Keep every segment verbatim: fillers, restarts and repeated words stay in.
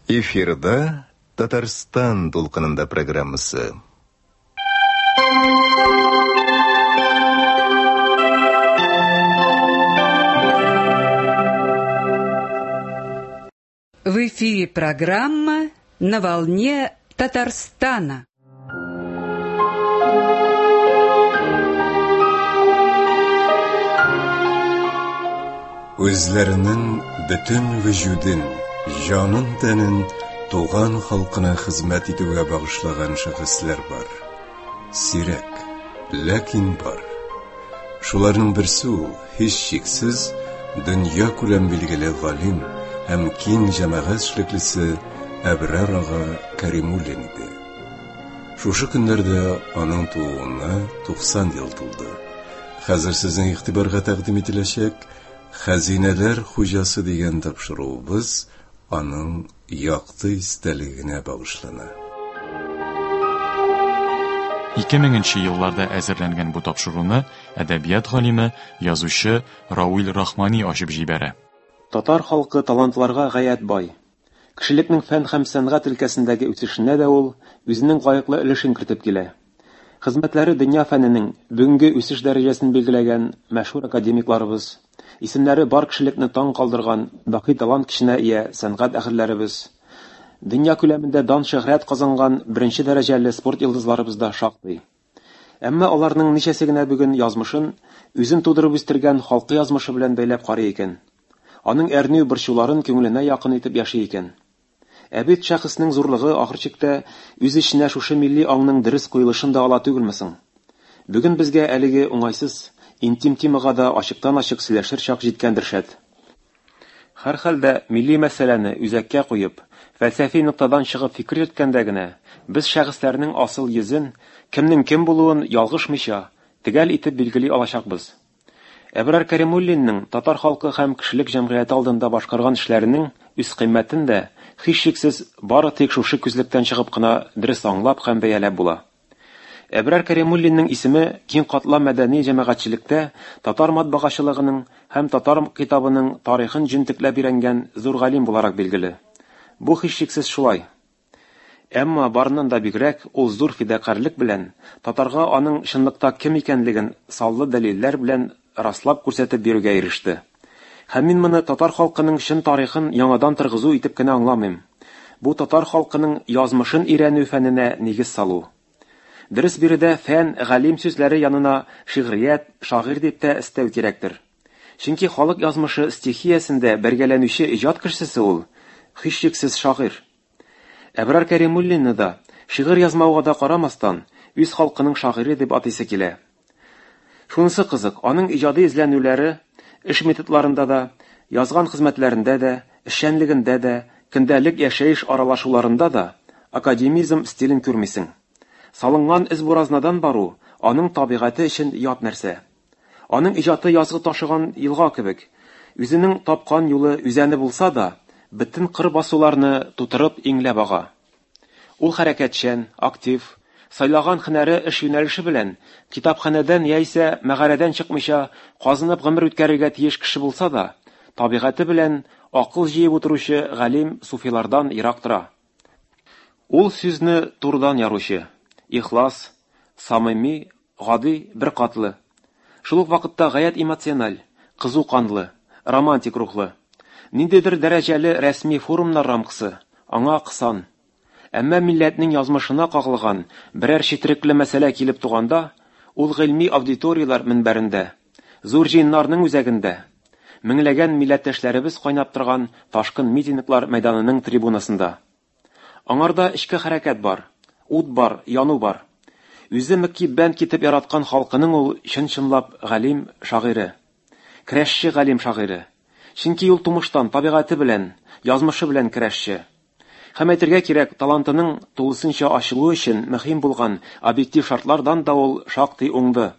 Эфирда Татарстан дулкынында программасы. В эфире программа «На волне Татарстана». Үзләренең бөтен вөҗүден, җанын тәнен туган халкына хезмәт итүгә багышлаган шәхесләр бар. Сирәк, ләкин бар. Шуларның берсе ул, һичшиксез, дөнья күләм билгеле галим һәм киң җәмәгать эшлеклесе Әбрар ага Кәримуллин иде. Шушы көннәрдә аның тууына туксан ел тулды. Хәзер сезнең игътибарга тәкъдим ителәчәк Хәзинәләр хуҗасы дигән тапшыруыбыз аның якты истәлегенә багышлана. Ике меңенче елларда әзерләнгән бу тапшыруны әдәбият галиме, язучы Рауил Рахмани ачып җибәрә. Татар халкы талантларга гаять бай. Кешелекнең фән һәм сәнгать өлкәсендәге үсешенә дә ул үзенең лаеклы өлешен кертеп килә. Хезмәтләре дөнья фәненең бүгенге үсеш дәрәҗәсен билгеләгән мәшһүр академикларыбыз, исемнәре бар кешелекне таң калдырган баки талант көченә ия сәнгать әһелләребез, дөнья күләмендә дан шөһрәт казанган беренче дәрәҗәле спорт йолдызларыбыз да шактый. Әмма аларның ничәсе генә бүген язмышын үзен тудырып үстергән халкы язмышы белән бәйләп карый икән. Аның әрнү борчуларын күңеленә якын итеп яши икән. Ә бит шәхеснең зурлыгы ахыр чиктә үз эченә шушы милли аңның дөрес куелышын да ала түгелме соң? Бүген безгә әлеге уңайсыз, интим темага да ачыктан-ачык сөйләшер чак җиткәндер шәт. Һәрхәлдә милли мәсьәләне үзәккә куеп, фәлсәфи ноктадан чыгып фикер йөрткәндә генә без шәхесләрнең асыл йөзен, кемнең кем булуын ялгышмыйча, төгәл итеп билгели алачакбыз. Әбрар Кәримуллинның татар халкы һәм кешелек җәмгыяте алдында башкарган эшләренең үз кыйммәтен дә һичшиксез бары тик шушы күзлектән чыгып кына дөрес аңлап һәм бәяләп була. Әбрар Кәримуллинның исеме киң катлам мәдәни җәмәгатьчелектә татар матбагачылыгының һәм татар китабының тарихын җентекләп өйрәнгән зур галим буларак билгеле. Бу һичшиксез шулай. Әмма барыннан да бигрәк ул зур фидакарьлек белән татарга аның чынлыкта кем икәнлеген саллы дәлилләр белән раслап күрсәтеп бирүгә иреште. Һәм мин моны татар халкының чын тарихын яңадан торгызу итеп кенә аңламыйм. Бу татар халкының язмышын өйрәнү фәненә нигез салу. Дөрес биредә фән, галим сүзләре янына шигърият, шагыйрь дип тә өстәү кирәктер. Чөнки халык язмышы стихиясендә бергәләнүче иҗат кешесе ул, һичшиксез шагыйрь. Әбрар Кәримуллинны да шигырь язмауга да карамастан, үз халкының шагыйре дип атыйсы килә. Шунысы кызык, аның иҗади эзләнүләре эш методларында да, язган хезмәтләрендә дә, эшчәнлегендә дә, көндәлек яшәеш аралашуларында да академизм стилен күрмисең. Салынган эз буразнадан бару аның табигате өчен ят нәрсә. Аның иҗаты язгы ташыган елга кебек, үзенең тапкан юлы үзәне булса да, бөтен кыр басуларны тутырып иңләп ага. Ул хәрәкәтчән, актив, сайлаган һөнәре эш юнәлеше белән китапханәдән яисә мәгарәдән чыкмыйча казынып гомер үткәрергә тиеш кеше булса да, табигате белән акыл җыеп утыручы галим суфилардан ерак тора. Ул сүзне турыдан яручы, ихлас, самими, гади, беркатлы. Шул ук вакытта гаять эмоциональ, кызу канлы, романтик рухлы. Ниндидер дәрәҗәле рәсми форумнар рамкасы аңа кысан. Әмма милләтнең язмышына кагылган берәр четерекле мәсьәлә килеп туганда, ул гыйльми аудиторияләр мөнбәрендә, зур җыеннарның үзәгендә, меңләгән милләттәшләребез кайнап торган ташкын митинглар мәйданының трибунасында. Аңарда эчке хәрәкәт бар, ут бар, яну бар. Үзе мөкиббән китеп яраткан халкының ул чын-чынлап галим шагыйре. Көрәшче галим шагыйре. Чөнки ул тумыштан табигате белән, язмышы белән көрәшче. Һәм әйтергә кирәк, талантының тулысынча ачылуы өчен мөһим булган объектив шартлардан да ул шактый уңды.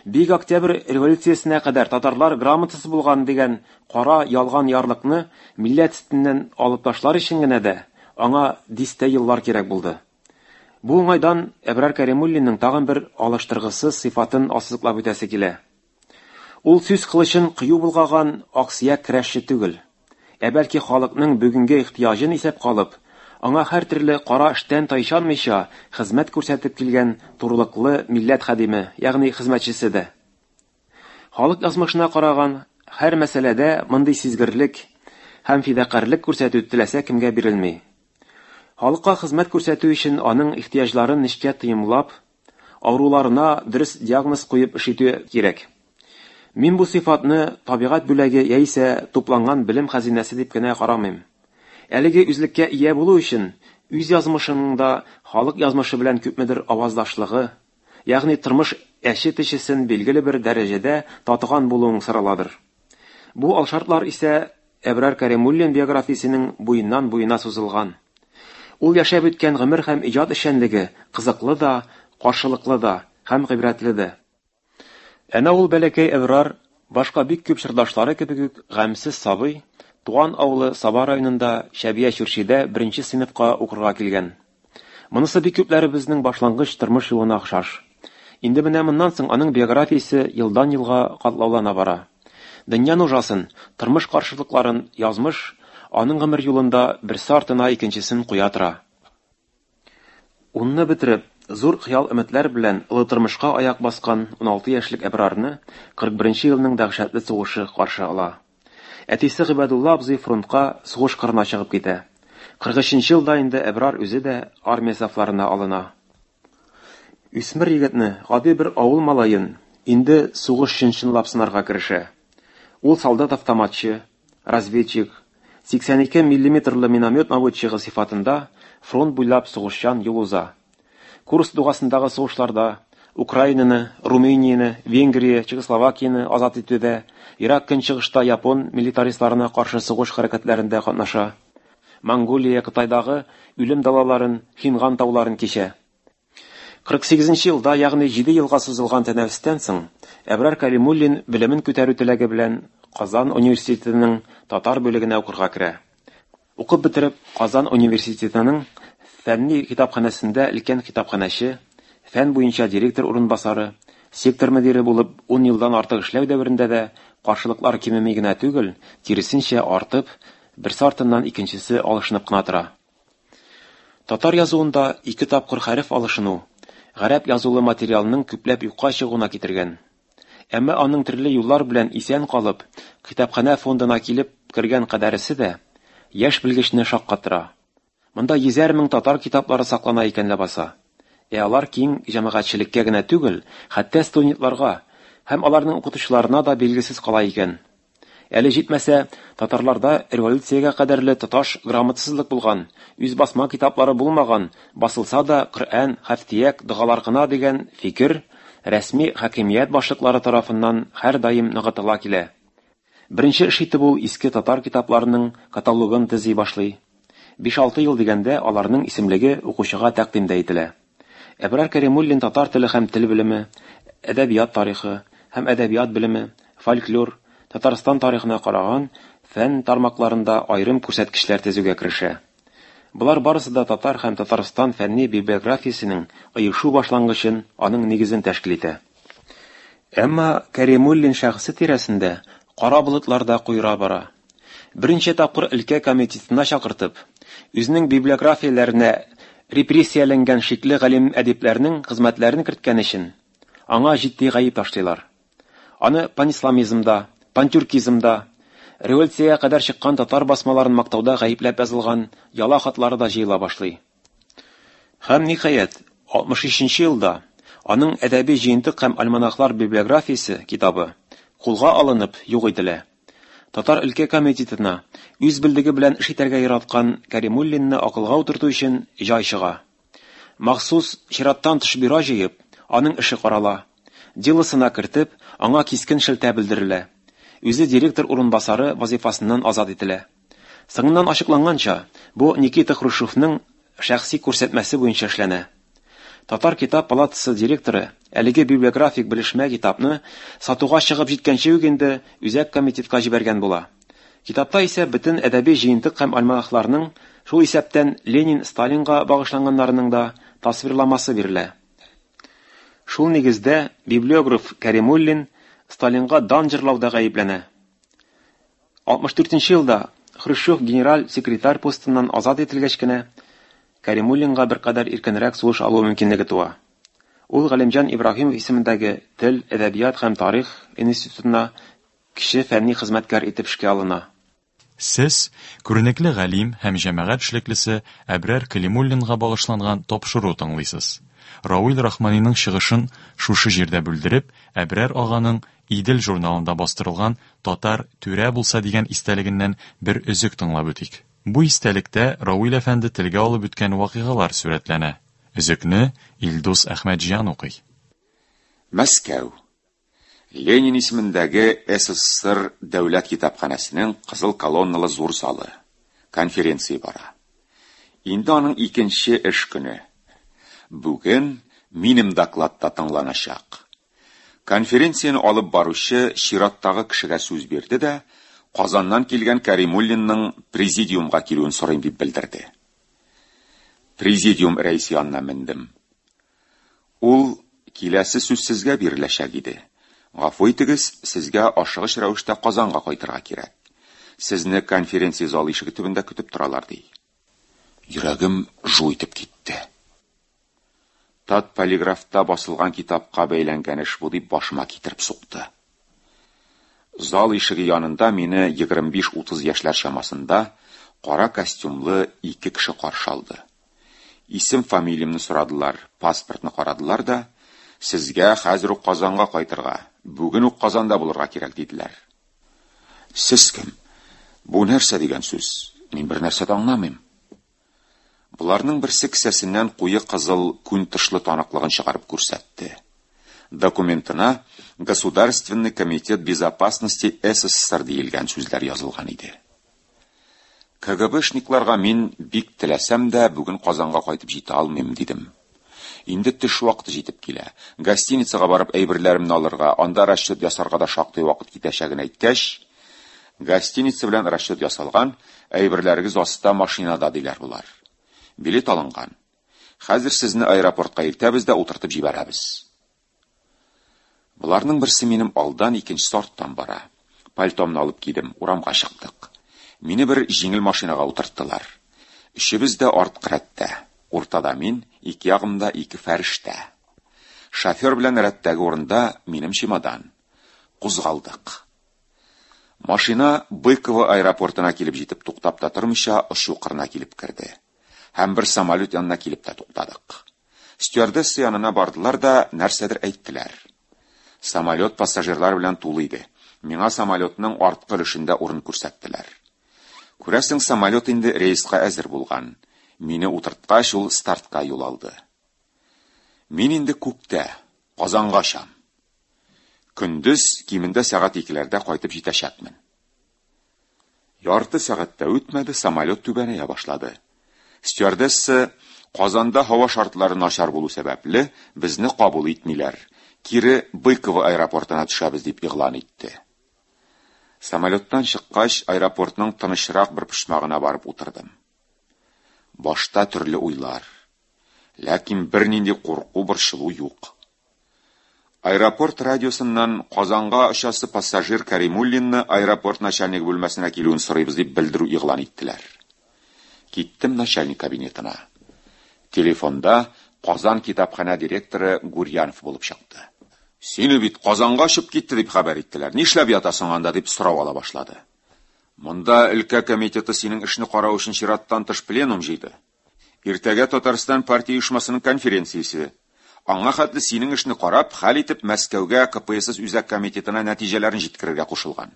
Бөек Октябрь революциясенә кадәр татарлар грамотасыз булган дигән кара ялган ярлыкны милләт өстеннән алып ташлар өчен генә дә аңа дистә еллар кирәк булды. Бу уңайдан Әбрар Кәримуллинның тагын бер алыштыргысыз сыйфатын ассызыклап үтәсе килә. Ул сүз кылычын кыю болгаган аксөяк көрәшче түгел, ә бәлки халыкның бүгенге ихтыяҗын исәп калып, аңа һәр төрле кара эштән тайчанмыйча хезмәт күрсәтеп килгән турылыклы милләт хадиме, ягъни хезмәтчесе дә. Халык язмышына караган һәр мәсьәләдә мондый сизгерлек һәм фидакарьлек күрсәтү теләсә кемгә бирелми. Халыкка хезмәт күрсәтү өчен аның ихтыяҗларын нечкә тоемлап, авыруларына дөрес диагноз куеп эш итү кирәк. Мин бу сыйфатны табигать бүләге яисә тупланган белем хәзинәсе дип кенә карамыйм. Әлеге үзлеккә ия булу өчен үз язмышының да халык язмышы белән күпмедер аваздашлыгы, ягъни тормыш әче төчесен билгеле бер дәрәҗәдә татыган булуың сораладыр. Бу алшартлар исә Әбрар Кәримуллин биографиясенең буеннан буена сузылган. Ул яшәп үткән гомер һәм иҗат эшчәнлеге кызыклы да, каршылыклы да һәм гыйбрәтле дә. Әнә ул бәләкәй Әбрар, башка бик күп чордашлары кебек үк гамьсез сабый, туган авылы Саба районында Чәбия Чүрчидә беренче сыйныфка укырга килгән. Монысы бик күпләребезнең башлангыч тормыш юлына охшаш. Инде менә моннан соң аның биографиясе елдан-елга катлаулана бара. Дөнья нужасын, тормыш каршылыкларын язмыш аның гомер юлында берсе артына икенчесен куя тора. Унны бетереп, зур хыял-өметләр белән олы тормышка аяк баскан уналты яшьлек Әбрарны кырык беренче елның дәһшәтле сугышы каршы ала. Әтисе Гыйбадулла абзый фронтка сугыш кырына чыгып китә. Кырык өченче елда инде Әбрар үзе дә армия сафларына алына. Үсмер егетне, гади бер авыл малаен, инде сугыш чын-чынлап сынарга керешә. Ул солдат-автоматчы, разведчик, сиксән ике миллиметрлы миномет наводчигы сыйфатында фронт буйлап сугышчан юл уза. Курск дугасындагы сугышларда Украинаны, Румынияне, Венгрия, Чехословакияне азат итүдә, Ирак көнчыгышта япон милитаристларына каршы сугыш хәрәкәтләрендә катнаша. Монголия, Кытайдагы үлем далаларын, Хинган тауларын кичә. Кырык сигезенче елда, ягъни җиде елга сузылган тәнәфестән соң, Әбрар Кәримуллин белемен күтәрү теләге белән Казан университетының татар бүлегенә укырга керә. Укып бетереп, Казан университетының фәнни китапханәсендә өлкән китапханәче, фән буенча директор урынбасары, сектор мөдире булып ун елдан артык эшләү дәверендә дә каршылыклар кимеми генә түгел, киресенчә артып, берсе артыннан икенчесе алышынып кына тора. Татар язуында ике тапкыр хәреф алышыну гарәп язулы материалның күпләп юкка чыгуына китергән. Әмма аның төрле юллар белән исән калып, китапханә фондына килеп кергән кадәресе дә яшь белгечне шаккатыра. Монда йөзәр мең татар китаплары саклана икән ләбаса. Ә алар киң җәмәгатьчелеккә генә түгел, хәтта студентларга һәм аларның укытучыларына да билгесез кала икән. Әле җитмәсә, татарларда революциягә кадәрле тоташ грамотсызлык булган, үз басма китаплары булмаган, басылса да Коръән, хәфтияк, догалар гына дигән фикер рәсми хакимият башлыклары тарафыннан һәрдаим ныгытыла килә. Беренче эш итеп ул иске татар китапларының каталогын төзи башлый. Биш-алты ел дигәндә аларның исемлеге укучыга тәкъдим дә ителә. Әбрар Кәримуллин татар теле һәм тел белеме, әдәбият тарихы һәм әдәбият белеме, фольклор, Татарстан тарихына караган фән тармакларында аерым күрсәткечләр төзүгә керешә. Болар барысы да татар һәм Татарстан фәнни библиографиясенең оешу башлангычын, аның нигезен тәшкил итә. Әмма Кәримуллин шәхесе тирәсендә кара болытлар да куера бара. Берничә тапкыр өлкә комитетына чакыртып, үзенең библиографияләренә репрессияләнгән шикле галим әдипләрнең хезмәтләрен керткән өчен аңа җитди гаеп ташлыйлар. Аны панисламизмда, пантюркизмда, революциягә кадәр чыккан татар басмаларын мактауда гаепләп язылган яла хатлары да җыела башлый. Һәм ниһаять, алтмыш өченче елда аның әдәби җыентык һәм альманахлар библиографиясе китабы кулга алынып юк ителә. Татар өлкә комитетына үз белдеге белән эш итәргә яраткан Кәримуллинны акылга утырту өчен җай чыга. Махсус чираттан тыш бюро җыеп, аның эше карала. Делосына кертеп, аңа кискен шелтә белдерелә. Үзе директор урынбасары вазифасыннан азат ителә. Соңыннан ачыкланганча, бу Никита Хрущевның шәхси күрсәтмәсе буенча эшләнә. Татар китап палатасы директоры әлеге библиографик белешмә китапны сатуга чыгып җиткәнче үк инде үзәк комитетка җибәргән була. Китапта исә бөтен әдәби җыентык һәм альманахларның, шул исәптән Ленин, Сталинга багышланганнарының да тасвирламасы бирелә. Шул нигездә библиограф Кәримуллин Сталинга дан җырлауда гаепләнә. алтмыш дүртенче елда Хрущев генераль секретарь постыннан азат ителгәч кенә Кәримуллинга беркадәр иркенрәк сулыш алу мөмкинлеге туа. Ул Галимҗан Ибраһимов исемендәге Тел, әдәбият һәм тарих институтына кече фәнни хезмәткәр итеп эшкә алына. Сез күренекле галим һәм җәмәгать эшлеклесе Әбрар Кәлимуллинга багышланган тапшыру тыңлыйсыз. Рауил Рахманиның чыгышын шушы җирдә бүлдереп, Әбрар аганың Идел журналында бастырылган Татар түрә булса дигән истәлегеннән бер өзек тыңлап үтик. Бу истәлектә Рауил әфәнде телгә алып үткән вакыйгалар сурәтләнә. Өзекне Илдус Әхмәтҗан укый. Мәскәү. Ленин исемендәге СССР дәүләт китапханәсенең кызыл колонналы зур залы. Конференция бара. Инде аның икенче эш көне. Бүген минем докладта тыңланачак. Конференцияне алып баручы чираттагы кешегә сүз бирде дә, Казаннан килгән Кәримуллинның президиумга килүен сорыйм дип белдерде. Президиум рәисе янына мендем. Ул киләсе сүз сезгә биреләчәк иде. Гафу итегез, сезгә ашыгыч рәвештә Казанга кайтырга кирәк. Сезне конференция залы ишеге төбендә көтеп торалар, ди. Йөрәгем жу итеп китте. Татполиграфта басылган китапка бәйләнгән эш бу дип башыма китереп сукты. Зал ишеге янында мине егерме биш-утыз яшьләр чамасында кара костюмлы ике кеше каршы алды. Исем фамилиямне сорадылар, паспортны карадылар да, сезгә хәзер үк Казанга кайтырга, бүген үк Казанда булырга кирәк диделәр. Сез кем? Бу нәрсә дигән сүз? Мин бер нәрсә дә аңламыйм. Буларның берсе кесәсеннән куе кызыл күн тышлы таныклыгын чыгарып күрсәтте. Документына Государственный комитет безопасности СССР диелгән сүзләр язылган иде. КГБшникларга мин бик теләсәм дә бүген Казанга кайтып җитә алмыйм дидем. Инде төш вакыты җитеп килә. Гостиницага барып әйберләремне алырга, анда расчет ясарга да шактый вакыт китәчәген әйткәч, гостиница белән расчет ясалган, әйберләрегез аста машинада диләр булар. Билет алынган. Хәзер сезне аэропортка илтәбез дә утыртып җибәрәбез. Буларның берсе минем алдан, икенчесе арттан бара. Пальтомны алып кидем, урамга чыктык. Мине бер җиңел машинага утырттылар. Өчебез дә арткы рәттә. Уртада мин, ике ягымда ике фәрештә. Шофер белән рәттәге урында минем чемодан. Кузгалдык. Машина Быково аэропортына килеп җитеп туктап та тормыйча очу кырына килеп керде. Һәм бер самолет янына килеп тә туктадык. Стюардесса янына бардылар да нәрсәдер әйттеләр. Самолет пассажирлар белән тулы иде. Миңа самолетның арткы өлешендә урын күрсәттеләр. Күрәсең, самолет инде рейска әзер булган. Мине утырткач, ул стартка юл алды. Мин инде күктә, Казанга очам. Көндез кимендә сәгать икеләрдә кайтып җитәчәкмен. Ярты сәгать тә үтмәде, самолет түбәнәя башлады. Стюардесса Казанда һава шартлары начар булу сәбәпле безне кабул итмиләр. Кире Быково аэропортына төшәбез дип игълан итте. Самолеттан чыккач, аэропортның тынычрак бер почмагына барып утырдым. Башта төрле уйлар. Ләкин бернинди курку, борчылу юк. Аэропорт радиосыннан Казанга очасы пассажир Кәримуллинны аэропорт начальнигы бүлмәсенә килүен сорыйбыз дип белдерү игълан иттеләр. Киттем начальник кабинетына. Телефонда Казан китапханә директоры Гурьянов булып чыкты. Сине бит Казанга очып китте дип хәбәр иттеләр. Нишләп ятасың анда дип сорау ала башлады. Монда өлкә комитеты синең эшне карау өчен чираттан тыш пленум җыйды. Иртәгә Татарстан партия оешмасының конференциясе. Аңа хәтле синең эшне карап, хәл итеп Мәскәүгә К П С С үзәк комитетына нәтиҗәләрен җиткерергә кушылган.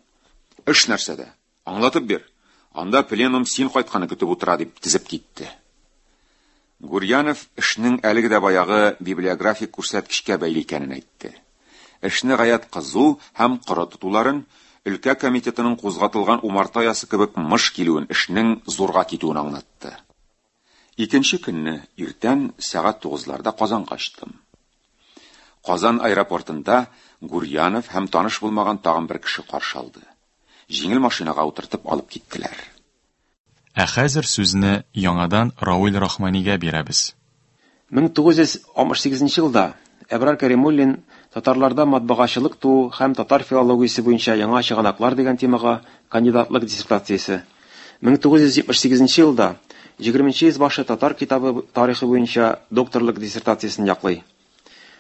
Эш нәрсәдә? Аңлатып бир. Анда пленум син кайтканны көтеп утыра дип тезеп китте. Гурьянов эшнең әлеге дә баягы библиографик күрсәткечкә бәйле икәнен әйтте. Эшне гаять кызу һәм коры тотуларын, өлкә комитетының кузгатылган умарта ясы кебек мыш килүен, эшнең зурга китүен аңлатты. Икенче көнне иртән сәгать тугызларда Казанга очтым. Казан аэропортында Гурьянов һәм таныш булмаган тагын бер кеше каршы алды. Җиңел машинага утыртып алып киттеләр. Ә хәзер сүзне яңадан Рауил Рахманигә бирәбез. Мең тугыз йөз алтмыш сигезенче елда Әбрар Кәримуллин татарларда матбагачылык туу һәм татар филологиясе буенча яңа чыганаклар дигән темага кандидатлык диссертациясе. Мең тугыз йөз җитмеш сигезенче елда егерменче йөз башы татар китабы тарихы буенча докторлык диссертациясен яклый.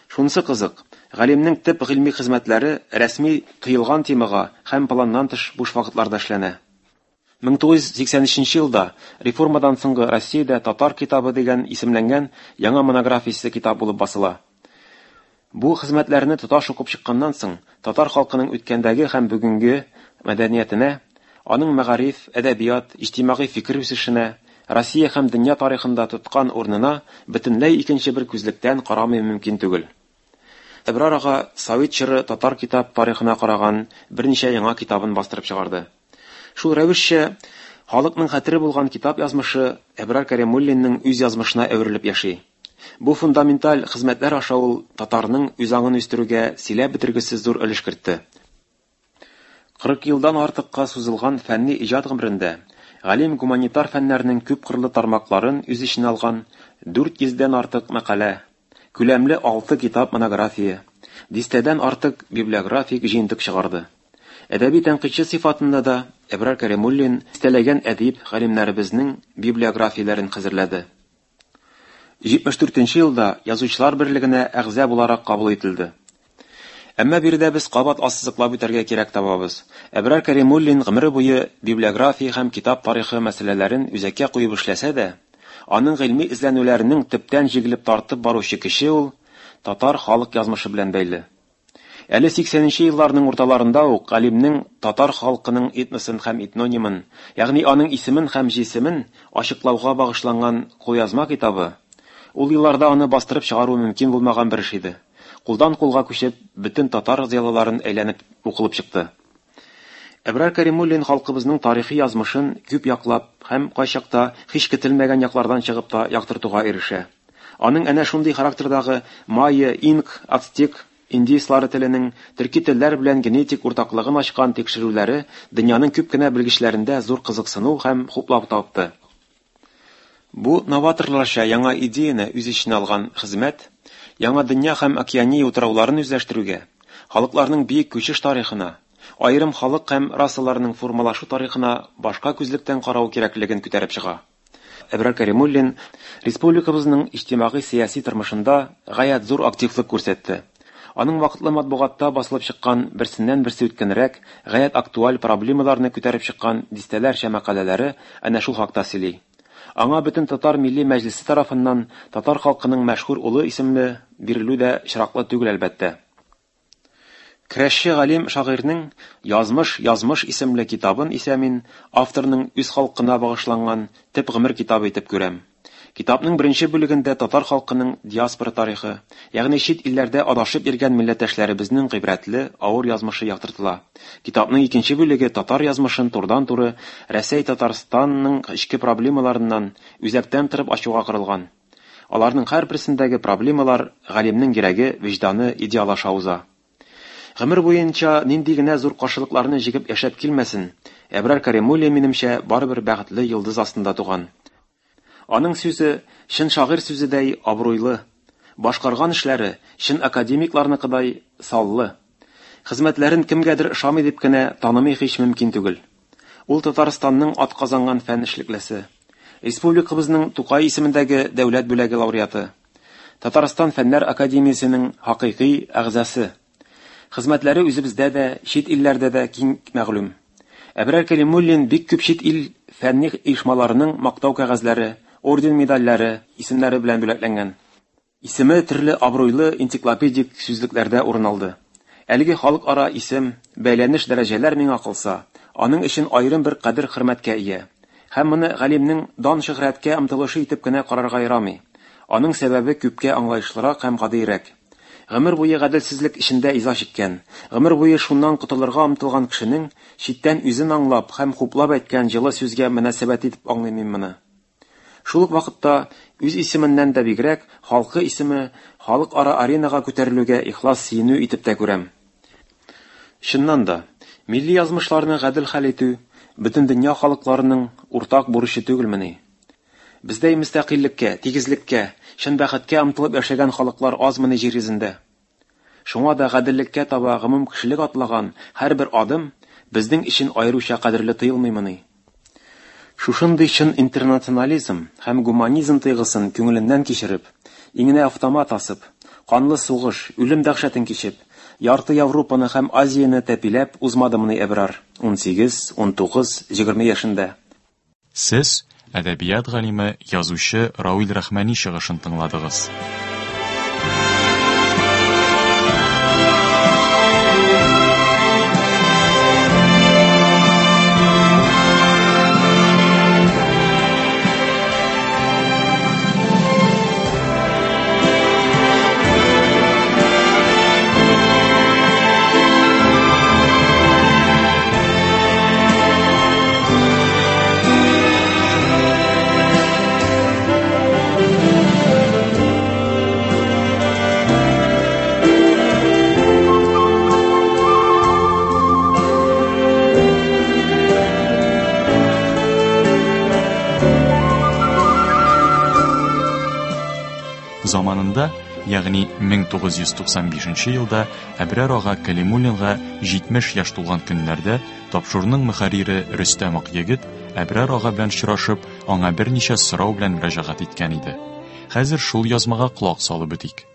Шунысы кызык, галимнең төп гыйльми хезмәтләре рәсми тыелган темага һәм планнан тыш буш вакытларда эшләнә. Мең тугыз йөз сиксән өченче елда реформадан соңгы Россиядә татар китабы дигән исемләнгән яңа монографиясе китап булып басыла. Бу хезмәтләрне тоташ укып чыкканнан соң, татар халкының үткәндәге һәм бүгенге мәдәниятенә, аның мәгариф, әдәбият, иҗтимагый фикер үсешенә, Россия һәм дөнья тарихында тоткан урынына бөтенләй икенче бер күзлектән карамый мөмкин түгел. Әбрар ага Совет чоры татар китап тарихына караган берничә яңа китабын бастырып чыгарды. Шул рәвешчә халыкның хәтере булган китап язмышы Әбрар Кәримуллинның үз язмышына әверелеп яши. Бу фундаменталь хезмәтләр аша ул татарның үз аңын үстерүгә сөйләп бетергесез зур өлеш кертте. Кырык елдан артыкка сузылган фәнни иҗат гомерендә галим гуманитар фәннәрнең күп кырлы тармакларын үз эченә алган дүрт йөздән артык мәкалә, күләмле алты китап монография, дистәдән артык библиографик җыентык чыгарды. Әдәби тәнкыйтьче сыйфатында да Әбрар Кәримуллин дистәләгән әдип галимнәребезнең библиографияләрен хәзерләде. Җитмеш дүртенче елда Язучылар берлегенә әгъза буларак кабул ителде. Әмма биредә без кабат ассызыклап үтәргә кирәк табабыз. Әбрар Кәримуллин гомере буе библиография һәм китап тарихы мәсьәләләрен үзәккә куеп эшләсә дә, аның гыйльми эзләнүләренең төптән җигелеп тартып баручы кеше ул татар халык язмышы белән бәйле. Әле сиксәненче елларның урталарында ук галимнең татар халкының этносын һәм этнонимын, ягъни аның исемен һәм җисемен ачыклауга багышланган кулъязма китабы, ул елларда аны бастырып чыгару мөмкин булмаган бер эш иде. Кулдан кулга күчеп, бөтен татар зыялыларын әйләнеп укылып чыкты. Әбрар Кәримуллин халкыбызның тарихи язмышын күп яклап һәм кайчакта һич көтелмәгән яклардан чыгып та яктыртуга ирешә. Аның әнә шундый характердагы майя, инк, ацтек индейслары теленең төрки телләр белән генетик уртаклыгын ачкан тикшерүләре дөньяның күп кенә белгечләрендә зур кызыксыну һәм хуплау тапты. Бу новаторларча яңа идеяны үз эченә алган хезмәт яңа дөнья һәм Океания утрауларын үзләштерүгә, халыкларның бөек күчеш тарихына, аерым халык һәм расаларның формалашу тарихына башка күзлектән карау кирәклеген күтәреп чыга. Әбрар Кәримуллин республикабызның иҗтимагый-сәяси тормышында гаять зур активлык күрсәтте. Аның вакытлы матбугатта басылып чыккан берсеннән берсе үткәнрәк, гаять актуаль проблемаларны күтәреп чыккан дистәләрчә мәкаләләре әнә шул хакта сөйли. Аңа бөтен татар милли мәҗлесе тарафыннан татар халкының мәшһүр улы исемле бирелү дә очраклы түгел әлбәттә. Көрәшче галим шагыйрьнең Язмыш, язмыш исемле китабын исә мин авторның үз халкына багышланган төп гомер китабы итеп күрәм. Китапның беренче бүлегендә татар халкының диаспора тарихы, ягъни чит илләрдә адашып йөргән милләттәшләребезнең гыйбрәтле авыр язмышы яктыртыла. Китапның икенче бүлеге татар язмышын турыдан-туры Рәсәй Татарстанның эчке проблемаларыннан үзәктән торып ачуга корылган. Аларның һәрберсендәге проблемалар галимнең йөрәге, вөҗданы идеал аша уза. Гомер буенча нинди генә зур каршылыкларны җигеп яшәп килмәсен, Әбрар Кәримуллин минемчә барыбер бәхетле йолдыз астында туган. Аның сүзе чын шагыйрь сүзедәй абруйлы, башкарган эшләре чын академикларныкыдай саллы. Хезмәтләрен кемгәдер ошамый дип кенә танымый һич мөмкин түгел. Ул Татарстанның атказанган фән эшлеклесе, республикабызның Тукай исемендәге дәүләт бүләге лауреаты, Татарстан Фәннәр академиясенең хакыйкый әгъзасы. Хезмәтләре үзебездә дә, чит илләрдә дә киң мәгълүм. Әбрар Кәримуллин бик күп чит ил фәнни оешмаларының мактау кәгазьләре, орден медальләре исемнәре белән бүләкләнгән. Исеме төрле абруйлы энциклопедик сүзлекләрдә урын алды. Әлеге халыкара исем, бәйләнеш дәрәҗәләр миңа калса, аның өчен аерым бер кадер-хөрмәткә ия. Һәм моны галимнең дан-шөһрәткә омтылышы итеп кенә карарга ярамый. Аның сәбәбе күпкә аңлаешлырак һәм гадиерәк. Гомер буе гаделсезлек эчендә иза чиккән, гомер буе шуннан котылырга омтылган кешенең читтән үзен аңлап һәм хуплап әйткән җылы сүзгә мөнәсәбәт итеп аңлыйм мин моны. Шул ук вакытта үз исеменнән дә бигрәк халкы исеме халыкара аренага күтәрелүгә ихлас сөенү итеп тә күрәм. Чыннан да, милли язмышларны гадел хәл итү бөтен дөнья халыкларының уртак бурычы түгелмени? Бездәй мөстәкыйльлеккә, тигезлеккә, чын бәхеткә омтылып яшәгән халыклар азмыни җир йөзендә? Шуңа да гаделлеккә таба гомум кешелек атлаган һәрбер адым безнең өчен аеруча кадерле тоелмыймыни? Шушындый чын интернационализм һәм гуманизм тойгысын күңеленнән кичереп, иңенә автомат асып, канлы сугыш, үлем дәһшәтен кичеп, ярты Европаны һәм Азияне тәпиләп узмадымыни Әбрар унсигез, унтугыз, егерме яшендә? Сез әдәбият галиме, язучы Рауил Рахмани чыгышын тыңладыгыз. Заманында, ягъни мең тугыз йөз туксан бишенче елда Әбрар ага Кәлимуллинга җитмеш яшь тулган көннәрдә тапшыруның мөхәррире Рөстәм Акъегет Әбрар ага белән очрашып, аңа берничә сорау белән мөрәҗәгать иткән иде. Хәзер шул язмага колак салып үтик.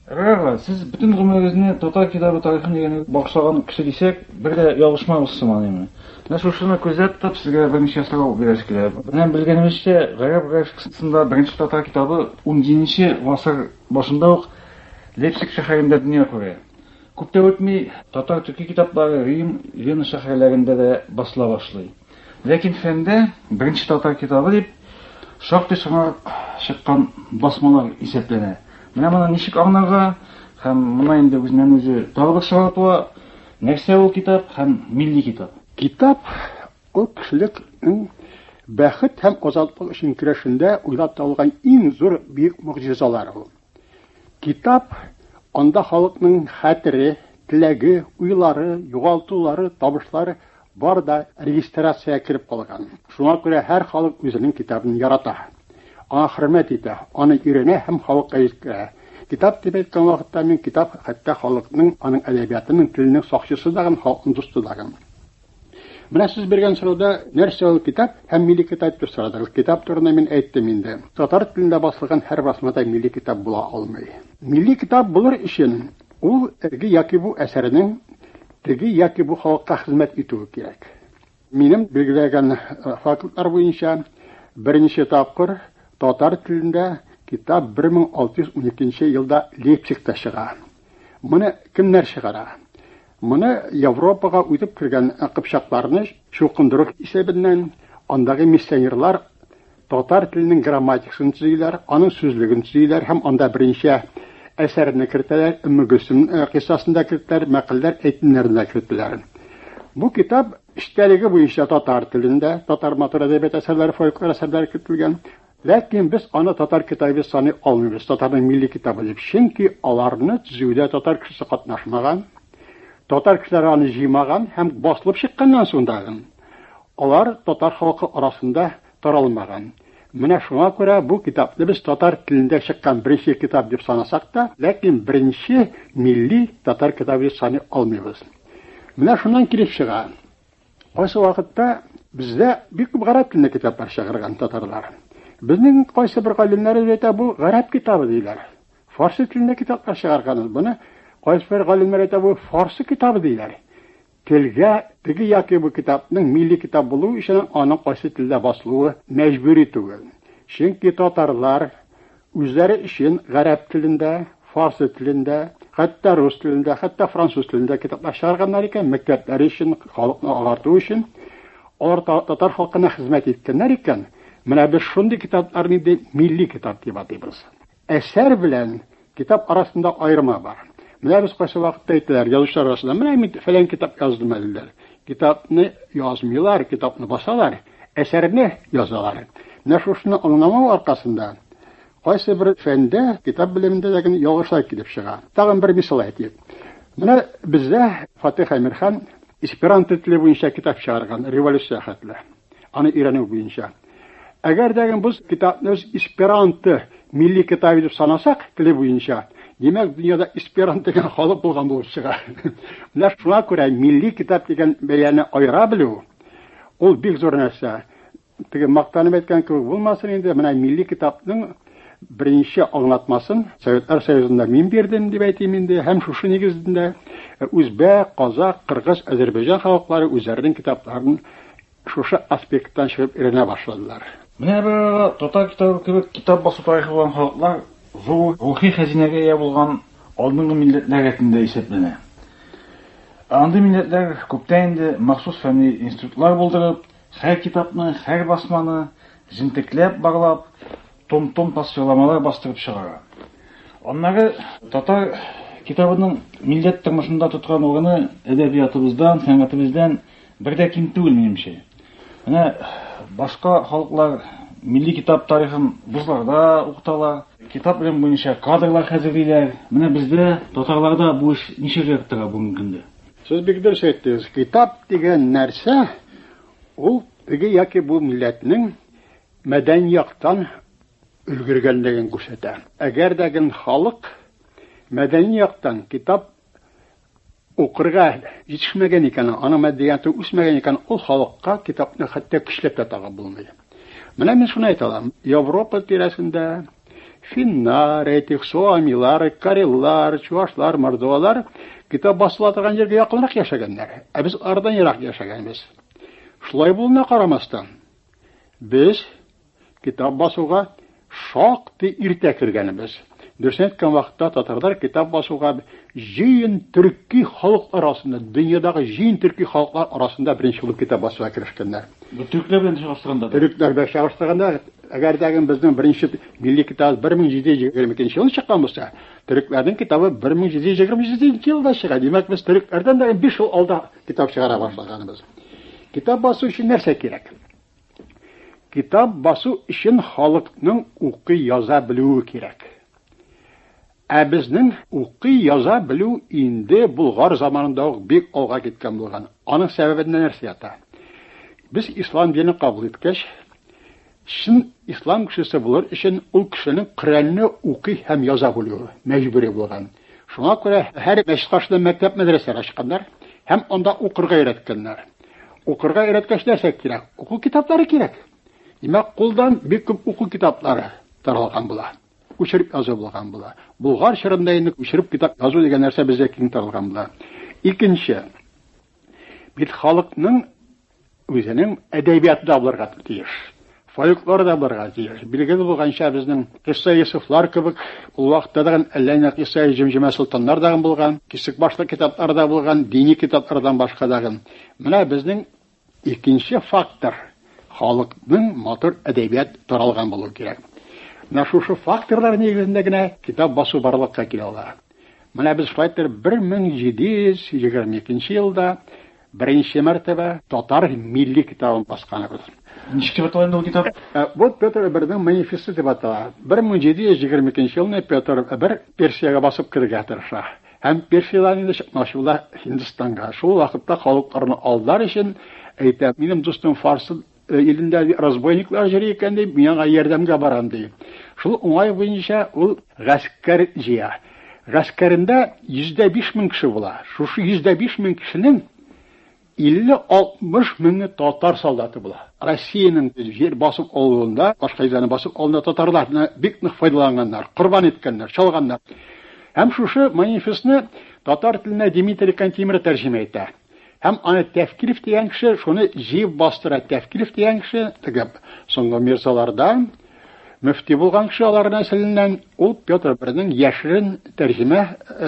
Әбрар ага, сез бөтен гомерегезне татар китабы тарихын өйрәнүгә багышлаган кеше дисәк, бер дә ялгышмабыз сыман инде. Менә шушыны күздә тотып, сезгә берничә сорау бирәсе килә. Менә белгәнебезчә, гарәп графикасында беренче татар китабы унҗиденче гасыр башында ук Лейпциг шәһәрендә дөнья күрә. Күп тә үтми, татар төрки китаплары Рим, Вена шәһәрләрендә дә басыла башлый. Ләкин фәндә беренче татар китабы дип шактый соңрак чыккан басмалар исәпләнә. Менә моны ничек аңларга һәм моны инде үзеннән үзе тагы бер сорау туа: нәрсә ул китап һәм милли китап? Китап ул кешелекнең бәхет һәм азатлык өчен көрәшендә уйлап табылган иң зур бөек могҗизалар ул. Китап анда халыкның хәтере, теләге, уйлары, югалтулары, табышлары бар да регистрация кереп калган. Шуңа күрә һәр халык үзенең китабын ярата, аңа хөрмәт итә, аны өйрәнә һәм халыкка җиткерә. Китап дип әйткән вакытта мин китап хәтта халыкның, аның әдәбиятының, теленең сакчысы да, халыкның дусты да. Менә сез биргән сорауда нәрсә ул китап һәм милли китап дип сорадыгыз. Китап турында мин әйттем инде. Татар телендә басылган һәр басмада милли китап була алмый. Милли китап булыр өчен ул теге яки бу әсәрнең теге яки бу халыкка хезмәт итүе кирәк. Минем билгеләгән фактлар буенча беренче тапкыр татар телендә китап бер мең алты йөз уникенче елда Лейпцигта чыга. Моны кемнәр чыгара? Моны Европага үтеп кергән кыпчакларны чукындыру исәбеннән андагы миссионерлар татар теленең грамматикасын төзиләр, аның сүзлеген төзиләр һәм анда беренче әсәрне кертәләр, Өмме Гөлсем кыйссасын да кертәләр, мәкальләр, әйтемнәрен дә кертәләр. Бу китап эчтәлеге буенча татар телендә, татар матур әдәбият әсәрләре, фольклор әсәрләре кертелгән. Ләкин без аны татар китабы саный алмыйбыз, татарның милли китабы дип. Чөнки аларны төзүдә татар кешесе катнашмаган, татар кешеләре аны җыймаган һәм басылып чыкканнан соң да алар татар халкы арасында таралмаган. Менә шуңа күрә бу китапны без татар телендә чыккан беренче китап дип санасак та, ләкин беренче милли татар китабы дип саный алмыйбыз. Менә шуннан килеп чыга. Кайсы вакытта бездә бик күп гарәп телендә китаплар чыгарган татарлар. Безнең кайсы бер галимнәре әйтә, бу гарәп китабы диләр. Фарсы телендә китаплар чыгарганбыз. Моны кайсы бер галимнәр әйтә, бу фарсы китабы диләр. Телгә теге яки бу китапның милли китап булуы өчен аның кайсы телдә басылуы мәҗбүри түгел. Чөнки татарлар үзләре өчен гарәп телендә, фарсы телендә, хәтта рус телендә, хәтта француз телендә китаплар чыгарганнар икән, мәктәпләре өчен, халыкны агарту өчен, алар татар халкына хезмәт иткәннәр икән. Менә без шундый китапларны инде милли китап дип атыйбыз. Әсәр белән китап арасында аерма бар. Менә без кайсы вакытта әйтәләр, язучылар арасында, менә мин фәлән китап яздым әле. Китапны язмыйлар, китапны басалар, әсәрне язалар. Менә шушыны аңламау аркасында кайсы бер фәндә, китап белемендә дә ялгышлар килеп чыга. Тагын бер мисал әйтик. Менә бездә Фатих Әмирхан эсперанто теле буенча китап чыгарган, революция хәтле. Аны өйрәнү буенча. Әгәр дә без китапны эсперанто милли китабы дип санасак, теле буенча, димәк, дөньяда эсперанто дигән халык булган булып чыга. Менә шуңа күрә милли китап дигән бәяне аера белү ул бик зур нәрсә. Теге мактанып әйткән кебек булмасын инде, менә милли китапның беренче аңлатмасын Советлар Союзында мин бирдем дип әйтим инде, һәм шушы нигездә үзбәк, казак, кыргыз, Азәрбайҗан халыклары үзләренең китапларын шушы аспекттан чыгып өйрәнә башладылар. Менә бер татар китабы кебек китап басу тарихы булган халыклар зур рухи хәзинәгә ия булган алдынгы милләтләр рәтендә исәпләнә. Андый милләтләр күптән инде махсус фәнни институтлар булдырып, һәр китапны, һәр басманы җентекләп барлап, том-том тасвирламалар бастырып чыгара. Аннары татар китабының милләт тормышында тоткан урыны әдәбиятыбыздан, сәнгатебездән бер дә ким түгел минемчә. Менә башка халыклар милли китап тарихын вузларда укыталар, китап белем буенча кадрлар хәзерлиләр. Менә бездә татарларда бу эш ничек тора бүгенге көндә? Сез бик дөрес әйттегез. Китап дигән нәрсә ул теге яки бу милләтнең мәдәни яктан өлгергәнлеген күрсәтә. Әгәр дә халык мәдәни яктан китап укырга җитешмәгән икән, аның мәдәнияте үсмәгән икән, ул халыкка китапны хәтта көчләп тә тагып булмый. Менә мин шуны әйтә алам. Европа тирәсендә финнар, әйтик, суамилар, кареллар, чуашлар, мордвалар китап басыла торган җиргә якынрак яшәгәннәр. Ә без ардан ерак яшәгәнбез. Шулай булуына карамастан, без китап басуга шактый иртә кергәнбез. Дөресен әйткән вакытта татарлар китап басуга җыен төрки халык арасында, дөньядагы җыен төрки халыклар арасында беренче булып китап басуга керешкәннәр. Бу төрекләр белән чагыштырганда. Төрекләр белән чагыштырганда, әгәр дә безнең беренче милли китап бер мең җиде йөз егерме икенче елда чыккан булса, төрекләрнең китабы бер мең җиде йөз егерме җиденче елда чыга. Димәк, без төрекләрдән дә биш ел алда китап чыгара башлаганбыз. Китап басу өчен нәрсә кирәк? Китап басу өчен халыкның укый яза белүе кирәк. Ә безнең укый яза белү инде Болгар заманында ук бик алга киткән булган. Аның сәбәбендә нәрсә ята? Без ислам динен кабул иткәч, чын ислам кешесе булыр өчен ул кешенең Коръәнне укый һәм яза белүе мәҗбүри булган. Шуңа күрә һәр мәчет каршында мәктәп, мәдрәсәләр ачканнар һәм анда укырга өйрәткәннәр. Укырга өйрәткәч нәрсә кирәк? Уку китаплары кирәк. Димәк, кулдан бик күп уку китаплары таралган була. Күчереп язу булган була. Болгар чорында инде күчереп китап язу дигән нәрсә безгә киң таралган була. Икенче, бит халыкның үзенең әдәбияты да булырга тиеш. Фольклор да булырга тиеш. Билгеле булганча, безнең Кыйсса Юсуфлар кебек ул вакытта да әллә ни Кыйсса Җимҗимә солтаннар да булган, кисек башлы китаплар да булган, дини китаплардан башка да. Менә безнең икенче фактор халыкның матур әдәбият таралган булу кирәк. Менә шушы факторлар нигезендә генә китап басу барлыкка килә ала. Менә без шулай итеп бер мең җиде йөз егерме икенче елда беренче мәртәбә татар милли китабын басканбыз. Ничек дип атала инде ул китап? Бу Петр Бернең манифесты дип атала. бер мең җиде йөз егерме икенче елны Петр Бер Персиягә басып керергә тырыша. Һәм Персиядән инде чыкмакчы була Һиндстанга. Шул вакытта халыкларны алдар өчен әйтә, минем дустым фарсы илендә разбойниклар йөри икән дип, мин аңа ярдәмгә барам ди. Шул уңай буенча ул гаскәр җыя. Гаскәрендә йөз дә биш мең кеше була. Шушы йөз дә биш мең кешенең илле алтмыш меңе татар солдаты була. Россиянең җир басып алуында, башка җирләрне басып алуында татарларны бик нык файдаланганнар, корбан иткәннәр, чалганнар. Һәм шушы манифестны татар теленә Дмитрий Кантемир тәрҗемә итә. Һәм аны Тәфкилев дигән кеше шуны җыеп бастыра. Тәфкилев дигән кеше теге соңгы мирзалардан мөфти булган кеше, алар нәселеннән, ул Петр Бернең яшерен тәрҗемә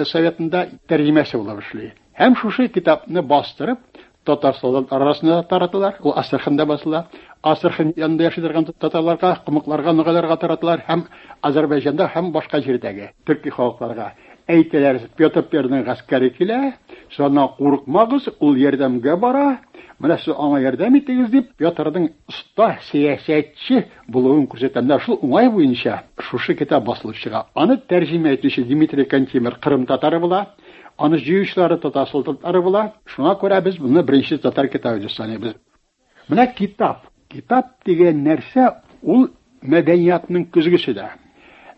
советында тәрҗемәсе булып эшли. Һәм шушы китапны бастырып татар солдатлары арасында тараталар. Ул Астраханда басыла. Астрахань янында яши торган татарларга, кумыкларга, ногайларга тараталар һәм Азәрбайҗанда һәм башка җирдәге төрки халыкларга. Әйтәләр, Петр Бернең гаскәре килә, шуннан курыкмагыз, ул ярдәмгә бара, менә сез аңа ярдәм итегез дип, Петрның оста сәясәтче булуын күрсәтәләр. Шул уңай буенча шушы китап басылып чыга. Аны тәрҗемә итүче Дмитрий Кантемир Кырым татары була. Аны җыючылары татар солдатлары була. Шуңа күрә без моны беренче татар китабы дип саныйбыз. Менә китап. Китап дигән нәрсә Ул мәдәниятның көзгесе дә.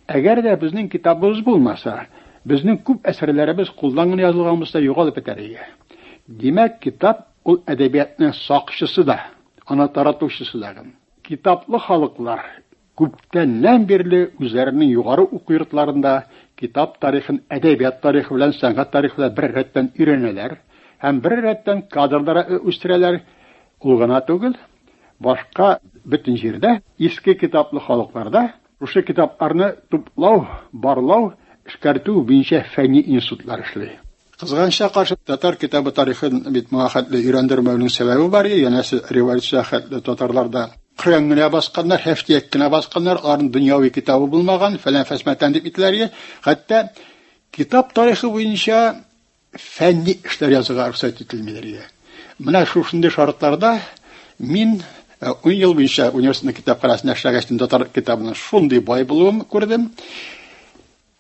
Әгәр дә безнең китабыбыз булмаса, безнең күп әсәрләребез кулдан гына язылган булса югалып бетәр иде. Димәк, китап ул әдәбиятның сакчысы да, аны таратучысы да. Китаплы халыклар күптәннән бирле үзләренең югары уку йортларында китап тарихын әдәбият тарихы белән сәнгать тарихы белән бер рәттән өйрәнәләр һәм бер рәттән кадрлар үстерәләр. Ул гына түгел, башка бөтен җирдә иске китаплы халыкларда шушы китапларны туплау, барлау, эшкәртү буенча фәнни институтлар эшли. Кызганычка каршы, татар китабы тарихын бит моңа хәтле өйрәндермәүнең сәбәбе бар, янәсе революция хәтле татарларда Коръән генә басканнар, һәфтияк кенә басканнар, аларның дөньяви китабы булмаган, фәлән фәсмәтән дип ителәр. Хәтта китап тарихы буенча фәнни эшләр язырга рөхсәт ителмиләр. Менә шушындый шартларда мин ун ел буенча университетның китапханәсендә эшләгәч, татар китабының шундый бай булуын күрдем.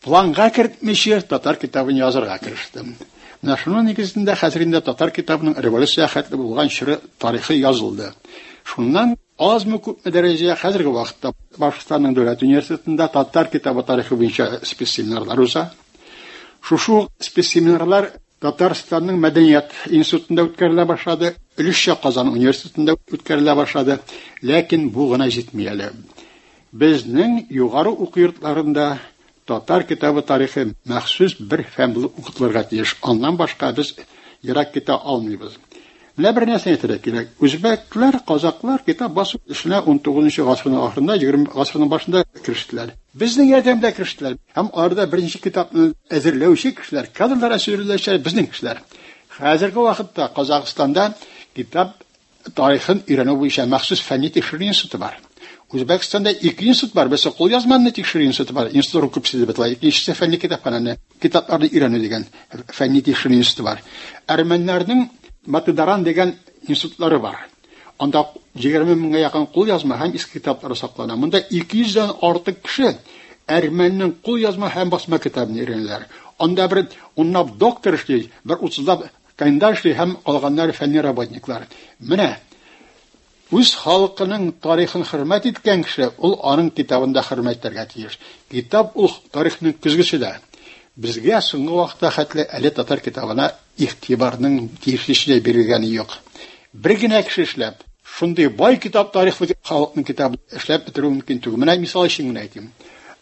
Планга кертмичә татар китабын язырга керештем. Менә шуның нигезендә хәзер инде татар китабының революция хәтле булган чоры тарихы язылды. Шуннан азмы күпме дәрәҗәдә хәзерге вакытта Башкортстанның дәүләт университетында татар китабы тарихы буенча спецсеминарлар уза. Шушы спецсеминарлар Татарстанның мәдәният институтында үткәрелә башлады, өлешчә Казан университетында үткәрелә башлады, ләкин бу гына җитми әле. Безнең югары уку йортларында татар китабы тарихы махсус бер фән булып укытылырга тиеш. Аннан башка без ерак китә алмыйбыз. Менә бер нәрсә әйтергә кирәк. Үзбәкләр, казаклар китап басу эшенә ун тугызынчы гасырның ахырында, егерме гасырның башында керештеләр. Безнең ярдәмдә керештеләр. Һәм аларда беренче китапны әзерләүче кешеләр, кадрлар әзерләүчеләр безнең кешеләр. Хәзерге вакытта Казахстанда китап тарихын өйрәнү буенча махсус фәнни тикшерү институты бар. Үзбәкстанда ике институт бар. Берсе кулъязманы тикшерү институты бар. Институт күпсе дип атала. Икенчесе фәнни китапхананы, китапларны өйрәнү дигән фәнни тикшерү институты бар. Әрмәннәрнең Матыдаран дигән институтлары бар. Анда егерме меңгә якын кулъязма һәм иске китаплар саклана. Монда ике йөздән артык кеше әрмәннең кулъязма һәм басма китабын өйрәнәләр. Анда бер унлап доктор эшли, бер утызлап кандидат эшли һәм калганнары фәнни работниклар. Менә үз халкының тарихын хөрмәт иткән кеше ул аның китабын да хөрмәт итәргә тиеш. Китап ул тарихның көзгесе дә. Безгә соңгы вакытта хәтле әле татар китабына игътибарның тиешлечә бирелгәне юк. Бер генә кеше эшләп, шундый бай китап тарихлы халыкның китабын эшләп бетерү мөмкин түгел. Менә мисал өчен генә әйтим.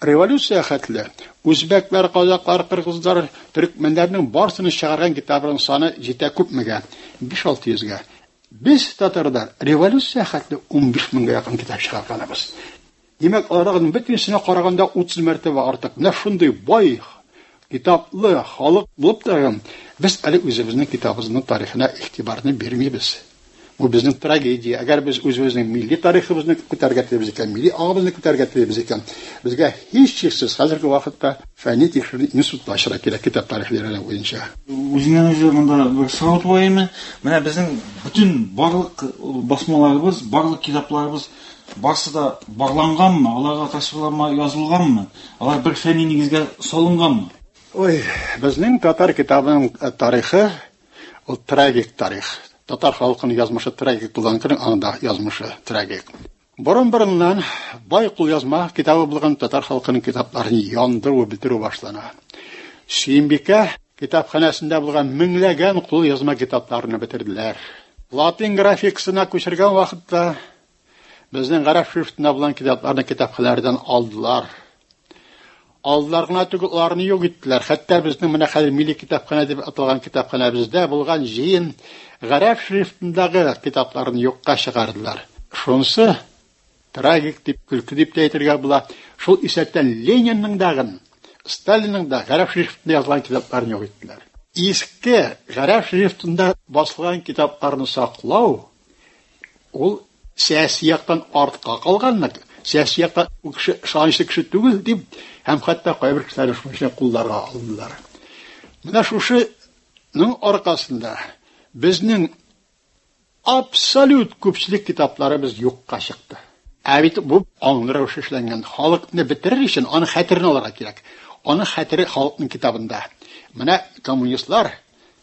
Революция хәтле үзбәкләр, казаклар, кыргызлар, төркмәннәрнең барысының чыгарган китапларының саны җитә күпмегә? биш-алты йөзгә. Без татарлар революция хәтле ун биш меңгә якын китап чыгарганбыз. Димәк, аларның бөтенесенә караганда утыз мәртәбә артык. Менә шундый бай китаплы халык булып торган, без әле үзебезнең китабыбызның тарихына игътибарны бирмибез. Бу безнең трагедия. Әгәр без үзебезнең милли тарихыбызны күтәрергә телибез икән, милли аңыбызны күтәрергә телибез икән, безгә һичшиксез хәзерге вакытта фәнни тикшерү институты ачырга кирәк китап тарихы өйрәнү буенча. Үзеннән үзе монда бер сорау туа име? Менә безнең бөтен барлык басмаларыбыз, барлык китапларыбыз барсы да барланганмы, аларга тасвирлама язылганмы, алар бер фәнни нигезгә салынганмы? Ой, безнең татар китабының тарихы ул трагик тарих. Татар халкының язмышы трагик булган көнең анда язмышы трагик. Борын-борыннан бай кулъязма китабы булган татар халкының китапларын яндыру, бетерү башлана. Сөембикә китапханәсендә булган меңләгән кулъязма китапларны бетерделәр. Латин графикасына күчергән вакытта безнең гарәп шрифтында булган китапларны китапханәләрдән алдылар. Алдылар гына түгел, аларны юк иттеләр. Хәтта безнең менә хәзер милли китапханә дип аталган китапханәбездә булган җыен гарәп шрифтындагы китапларны юкка чыгардылар. Шунысы трагик дип, көлке дип тә әйтергә була. Шул исәптән Ленинның дагын, Сталинның да гарәп шрифтында язылган китапларын юк иттеләр. Иске гарәп шрифтында басылган китапларны саклау ул сәяси яктан артка калганлык, сәяси яктан ул кеше ышанычлы кеше түгел дип, һәм хәтта кайбер кешеләр шуны кулларга алдылар. Менә шушының аркасында безнең абсолют күпчелек китапларыбыз юкка чыкты. Ә бит бу аңлы рәвештә эшләнгән. Халыкны бетерер өчен аның хәтерен алырга кирәк. Аның хәтере халыкның китабында. Менә коммунистлар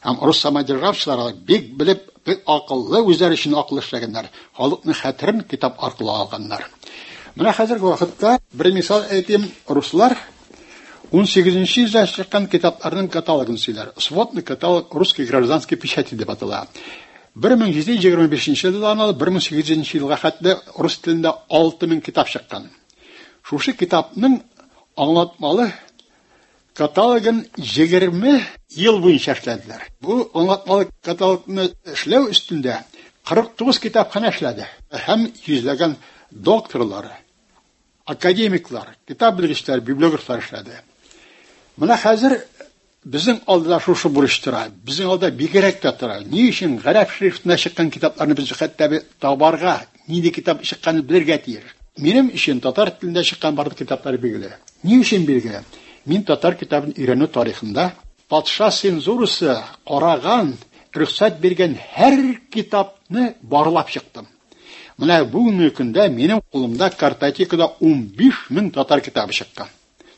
һәм рус самодержавчылар бик белеп, бик акыллы, үзләре өчен акыллы эшләгәннәр. Халыкның хәтерен китап аркылы алганнар. Менә хәзерге вакытта бер мисал әйтим, руслар унсигезенче йөздә чыккан китапларның каталогын сөйләр. Сводный каталог русской гражданской печати дип атала. бер мең җиде йөз егерме бишенче елдан алып бер мең сигез йөзенче елга хәтле рус телендә алты мең китап чыккан. Шушы китапның аңлатмалы каталогын егерме ел буенча эшләделәр. Бу аңлатмалы каталогны эшләү өстендә кырык тугыз китапханә эшләде. Һәм йөзләгән докторлар, академиклар, китап белгечләре, библиографлар эшләде. Менә хәзер безнең алда шушы бурыч тора, безнең алда бигрәк тә тора. Ни өчен гарәп шрифтында чыккан китапларны без хәтта табарга, нинди китап чыкканын белергә тиеш. Минем өчен татар телендә чыккан барлык китаплар билгеле. Ни өчен билгеле? Мин татар китабын өйрәнү тарихында патша цензурасы караган, рөхсәт биргән һәр китапны барлап чыктым. Менә бүгенге көндә минем кулымда картотекада унбиш мең татар китабы чыккан.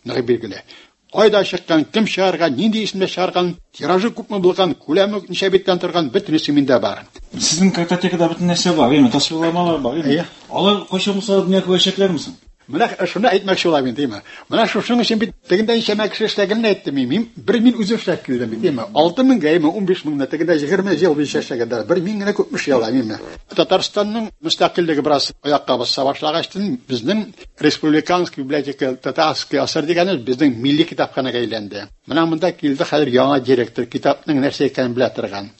Ныгы билгеле. Кайда чыккан, кем чыгарган, нинди исемдә чыгарган, тиражы күпме булган, күләме ничә биттән торган, бөтенесе миндә бар. Сезнең картотекада бөтен нәрсә бар, әйме, тасвирламалар бар, әйме? Алар кайчан булса дөнья күрәчәкләрме соң? Менә шуны әйтмәкче булам инде, әйме? Менә шушының өчен бит тегендә ничәмә кеше эшләгәнен әйттем мин. Мин бер мин үзем эшләп килдем бит, әйме? Алты меңгә, әйме, унбиш меңгә, тегендә егерме ел буенча эшләгәннәр. Бер мин генә күпме эшли алам, әйме? Татарстанның мөстәкыйльлеге бераз аякка баса башлагач, безнең Республиканский библиотека Татарский асыр дигәнебез безнең милли китапханәгә әйләнде. Менә монда килде хәзер яңа директор, китапның нәрсә икәнен белә торган.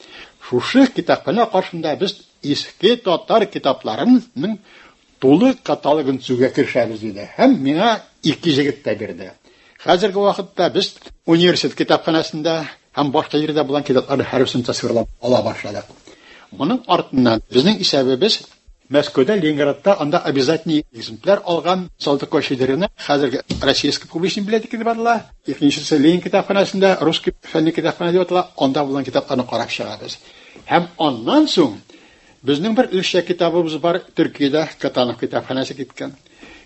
Шушы китапханә каршында без иске татар китапларының тулы каталогын төзүгә керешәбез диде. Һәм миңа ике җегет тә бирде. Хәзерге вакытта без университет китапханәсендә һәм башка җирдә булган китапларны һәрберсен тасвирлап ала башладык. Моның артыннан безнең исәбебез Мәскәүдә, Ленинградта анда обязательный экземпляр алган Салтыкова-Щедрина хәзерге Российский публичный библиотека дип атала. Икенчесе Ленин китапханәсендә Русский фәнни китапханә дип атала. Анда булган китапларны карап чыгабыз. Һәм аннан соң безнең бер өлешчә китабыбыз бар, Төркиядә Катанов китапханәсе киткән.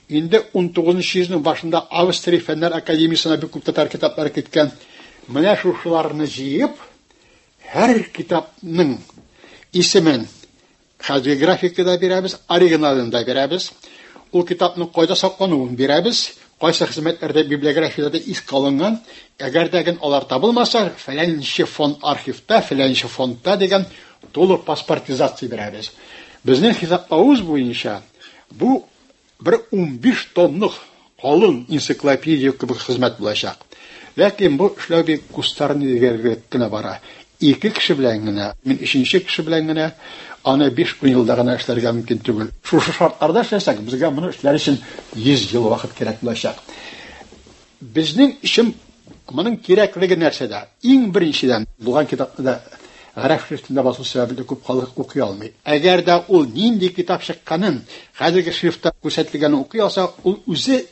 Инде унтугызынчы йөзнең башында Австрия фәннәр академиясенә бик күп татар китаплары киткән. Менә шушыларны җыеп, һәр китапның исемен хәзерге графикада бирәбез, оригиналын да бирәбез. Ул китапның кайда саклануын бирәбез, кайсы хезмәтләрдә библиографиядә искә алынган. Әгәр дә алар табылмаса, фәләнче фонд архивта, фәләнче фондта дигән тулы паспортизация бирәбез. Безнең хисаплавыбыз буенча бу бер унбиш томлык калын энциклопедия кебек хезмәт булачак. Ләкин бу эшләү бик кустарный дигән бара. Ике кеше белән генә, мин өченче кеше белән генә аны биш-ун елда гына эшләргә мөмкин түгел. Шушы шартларда эшләсәк, безгә моны эшләр өчен йөз ел вакыт кирәк булачак. Безнең өчен моның кирәклеге нәрсәдә? Иң беренчедән, булган китапны да гарәп шрифтында басу сәбәпле күп халык укый алмый. Әгәр дә ул нинди китап чыкканын, хәзерге шрифтта күрсәтелгәнен укый алса, ул үзе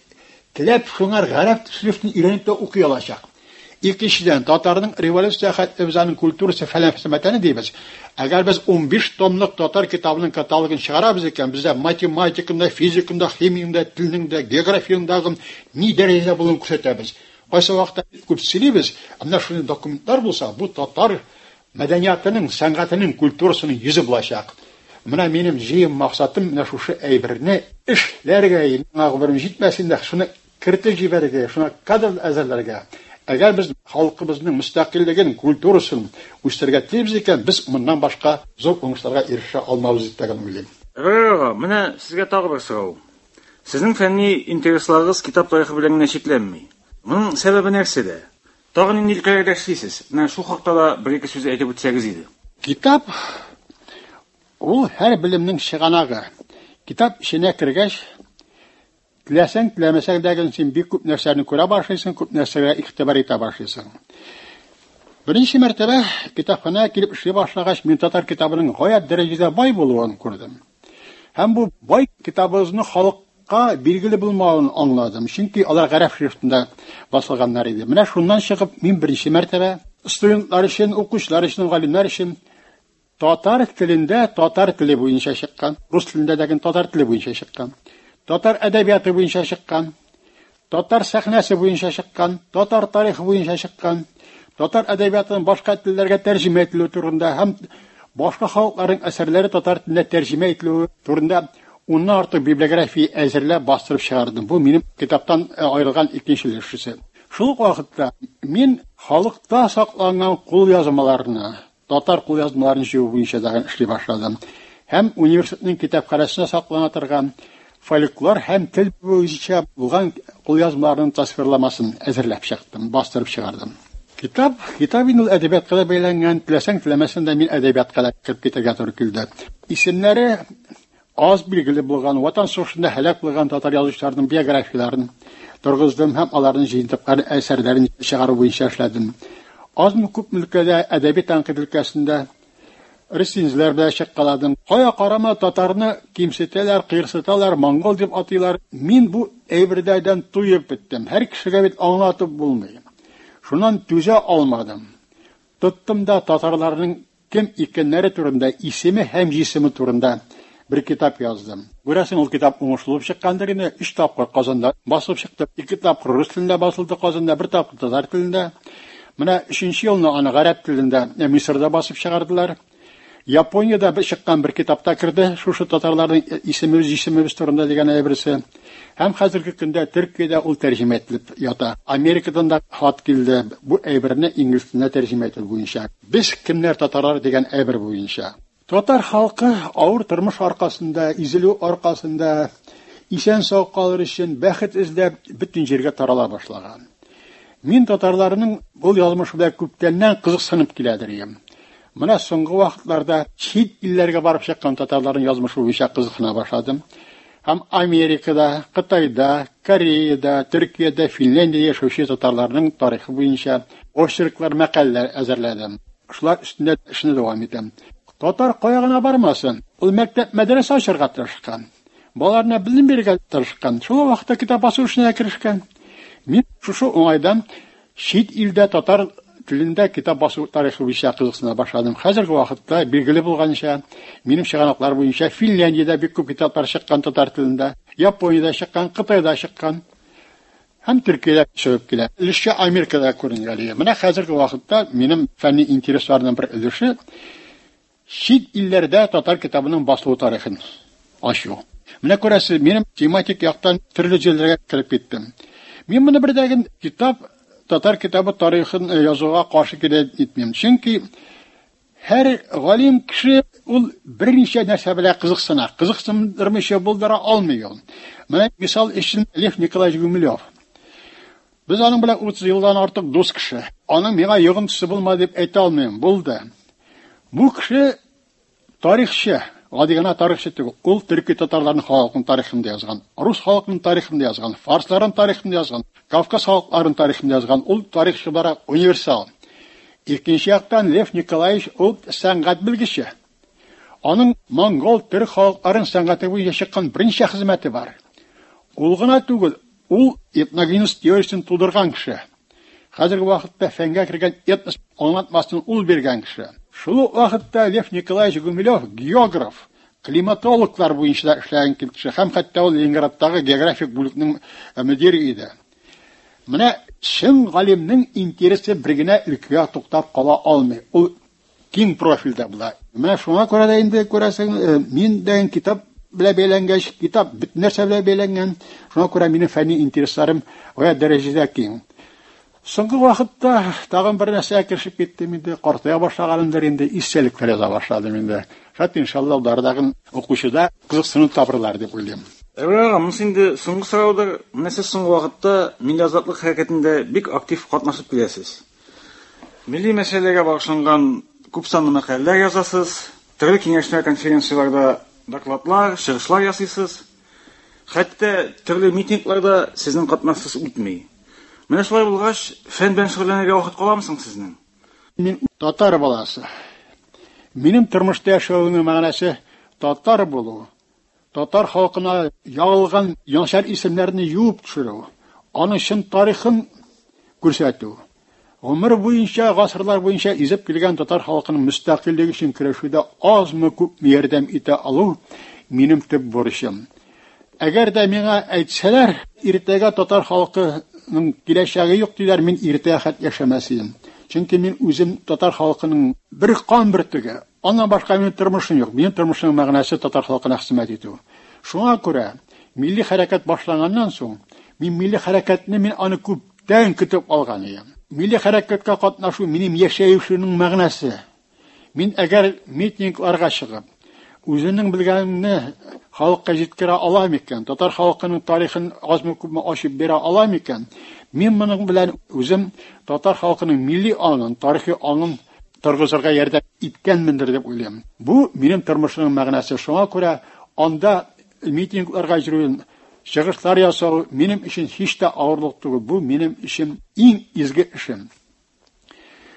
теләп шуңар гарәп шрифтын өйрәнеп тә укый алачак. Икенчедән, татарның революция хәтле без аның культурасы фәлән хезмәтен дибез. Әгәр без унбиш томлык татар китабының каталогын чыгарабыз икән, бездә математикада, физикада, химиядә, телнең дә, географиядә ни дәрәҗәдә булуын күрсәтәбез. Кайсы вакытта күп сөйлибез, әмма шундый документлар булса, бу татар мәдәниятының, сәнгатенең, культурасының йөзе булачак. Менә минем җыем максатым менә шушы әйберне эшләргә, миңа гомерем җитмәсен дә, шуны кертеп җибәрергә, шуны кадр әзерләргә. Әгәр без халкыбызның мөстәкыйльлеген, культурасын үстерергә телибез икән, без моннан башка зур уңышларга ирешә алмабыз дип тә уйлыйм. Әбрар, менә сезгә тагы бер сорау. Сезнең фәнни интересларыгыз китап тарихы белән генә чикләнми. Моның сәбәбе нәрсәдә? Тагын нинди өлкәләрдә эшлисез? Менә шул хакта да бер-ике сүз әйтеп үтсәгез иде. Китап ул һәр белемнең чыганагы. Китап эченә кергәч, теләсәң, теләмәсәң дә син бик күп нәрсәне күрә башлыйсың, күп нәрсәгә игътибар итә башлыйсың. Беренче мәртәбә китапханәгә килеп эшли башлагач, мин татар китабының гаять дәрәҗәдә бай булуын күрдем. Һәм бу бай китабыбызны халыкка билгеле булмавын аңладым, чөнки алар гарәп шрифтында басылганнар иде. Менә шуннан чыгып, мин беренче мәртәбә студентлар өчен, укучылар өчен, галимнәр өчен татар телендә татар теле буенча чыккан, рус телендә дә татар теле буенча чыккан, татар әдәбияты буенча чыккан, татар сәхнәсе буенча чыккан, татар тарихы буенча чыккан, татар әдәбиятының башка телләргә тәрҗемә ителүе турында һәм башка халыкларның әсәрләре татар теленә тәрҗемә ителүе турында Уннан артык библиография әзерләп бастырып чыгардым. Бу минем китаптан аерылган икенче өлешесе. Шул ук вакытта мин халыкта сакланган кулъязмаларны, татар кулъязмаларын җыю буенча да эшли башладым. Һәм университетның китапханәсендә саклана торган фольклор һәм тел буенча булган кулъязмаларның тасвирламасын әзерләп чыктым, бастырып чыгардым. Китап, китап инде ул әдәбиятка да бәйләнгән, теләсәң теләмәсәң дә мин әдәбиятка да кереп китәргә туры килде. Исемнәре аз билгеле булган, Ватан сугышында һәлак булган татар язучыларының биографияләрен торгыздым һәм аларның җыентыклары әсәрләрен чыгару буенча эшләдем. Азмы күпме өлкәдә әдәби тәнкыйть өлкәсендә рецензияләр белән чыккаладым. Кая карама татарны кимсетәләр, кыерсыталар, монгол дип атыйлар. Мин бу әйберләрдән туеп беттем. Һәр кешегә бит аңлатып булмый. Шуннан түзә алмадым. Тоттым да татарларның кем икәннәре турында, исеме һәм җисеме турында бер китап яздым. Күрәсең, ул китап уңышлы булып чыккандыр инде. Өч тапкыр Казанда басылып чыкты. Ике тапкыр рус телендә басылды Казанда, бер тапкыр татар телендә. Менә өченче елны аны гарәп телендә Мисырда басып чыгардылар. Япониядә бер чыккан бер китапта керде, шушы татарларның исемебез, җисемебез турында дигән әйберсе. Һәм хәзерге көндә Төркиядә ул тәрҗемә ителеп ята. Америкадан да хат килде, бу әйберне инглиз теленә тәрҗемә итү буенча. Без кемнәр татарлар дигән әйбер буенча. Татар халкы авыр тормыш аркасында, изелү аркасында исән сау калыр өчен бәхет эзләп бөтен җиргә тарала башлаган. Мин татарларның бу язмышы белән күптәннән кызыксынып киләдер идем. Менә соңгы вакытларда чит илләргә барып чыккан татарларның язмышы буенча кызыксына башладым. Һәм Америкада, Кытайда, Кореяда, Төркиядә, Финляндиядә яшәүче татарларның тарихы буенча очерклар, мәкаләләр әзерләдем. Шулар өстендә эшне дәвам итәм. Татар кая гына бармасын, ул мәктәп, мәдрәсә ачарга тырышкан. Балаларына белем бирергә тырышкан. Шул вакытта китап басу эшенә керешкән. Мин шушы уңайдан чит илдә татар телендә китап басу тарихы буенча кызыксына башладым. Хәзерге вакытта билгеле булганча, минем чыганаклар буенча Финляндиядә бик күп китаплар чыккан татар телендә, Япониядә чыккан, Кытайда чыккан һәм Төркиядә чыгып килә. Өлешчә Америкада күренгәли. Менә хәзерге вакытта минем фәнни интересларның бер өлеше чит илләрдә татар китабының басылу тарихын ачу. Менә күрәсез, минем тематик яктан төрле җирләргә кереп киттем. Мин моны бердәген китап татар китабы тарихын язуга каршы килә итмим. Чөнки һәр галим кеше ул берничә нәрсә белән кызыксына. Кызыксындырмыйча булдыра алмый ул. Менә мисал өчен Лев Николаевич Гумилев. Без аның белән утыз елдан артык дус кеше. Аның миңа йогынтысы булмады дип әйтә алмыйм. Булды. Бу кеше тарихчы, гади генә тарихчы түгел. Ул төрки татарларның халкының тарихын да язган, рус халкының тарихын да язган, фарсларның тарихын да язган, Кавказ халыкларының тарихын да язган. Ул тарихчы буларак универсал. Икенче яктан Лев Николаевич ул сәнгать белгече. Аның монгол төрк халыкларының сәнгате буенча чыккан берничә хезмәте бар. Ул гына түгел, ул этногенез теориясен тудырган кеше. Хәзерге вакытта фәнгә кергән этнос аңлатмасын ул биргән кеше. Шул ук вакытта Лев Николаевич Гумилев географ, климатологлар буенча да эшләгән кеше һәм хәтта ул Ленинградтагы географик бүлекнең мөдире иде. Менә чын галимнең интересы бер генә өлкәгә туктап кала алмый. Ул киң профильдә була. Менә шуңа күрә дә инде күрәсең, мин дә китап белән бәйләнгәч, китап бөтен нәрсә белән бәйләнгән. Шуңа күрә минем фәнни интересларым гаять дәрәҗәдә киң. Соңгы вакытта тагын бер нәрсәгә керешеп киттем инде, картая башлаганымдыр инде, истәлекләр яза башладым инде. Шат иншалла алардагы укучыда кызыксыну табырлар дип уйлыйм. Әбрар ага, монысы инде соңгы сораудыр. Менә сез соңгы вакытта милли азатлык хәрәкәтендә бик актив катнашып киләсез. Милли мәсьәләләргә багышланган күп санлы мәкаләләр язасыз, төрле киңәшмә конференцияләрдә докладлар, чыгышлар ясыйсыз. Хәтта төрле митингларда сезнең катнашсыз үтми. Менә шулай булгач, фән белән шөгыльләнергә вакыт каламы соң сезнең? Мин татар баласы. Минем тормышта яшәүнең мәгънәсе татар булу. Татар халкына ягылган начар исемнәрне юып төшерү, аның чын тарихын күрсәтү. Гомер буенча, гасырлар буенча изеп килгән татар халкының мөстәкыйльлеге өчен көрәшүдә азмы күпме ярдәм итә алу минем төп бурычым. Әгәр дә миңа әйтсәләр, иртәгә татар халкының киләчәге юк диләр, мин иртәгә хәт яшәмәс идем. Чөнки мин үзем татар халкының бер кан бөртеге. Аннан башка минем тормышым юк. Минем тормышымның мәгънәсе татар халкына хезмәт итү. Шуңа күрә милли хәрәкәт башланганнан соң, мин милли хәрәкәтне мин аны күптән көтеп алган идем. Милли хәрәкәткә катнашу минем яшәешемнең мәгънәсе. Мин әгәр митингларга чыгып, үзенең белгәнне халыкка җиткерә алам икән, татар халкының тарихын азмы-күпме ачып бирә алам икән, мин моның белән үзем татар халкының милли аңын, тарихи аңын торгызырга ярдәм иткәнмендер дип уйлыйм. Бу минем тормышымның мәгънәсе. Шуңа күрә анда митингларга йөрү, чыгышлар ясау минем өчен һич тә авырлык түгел. Бу минем өчен иң изге эшем.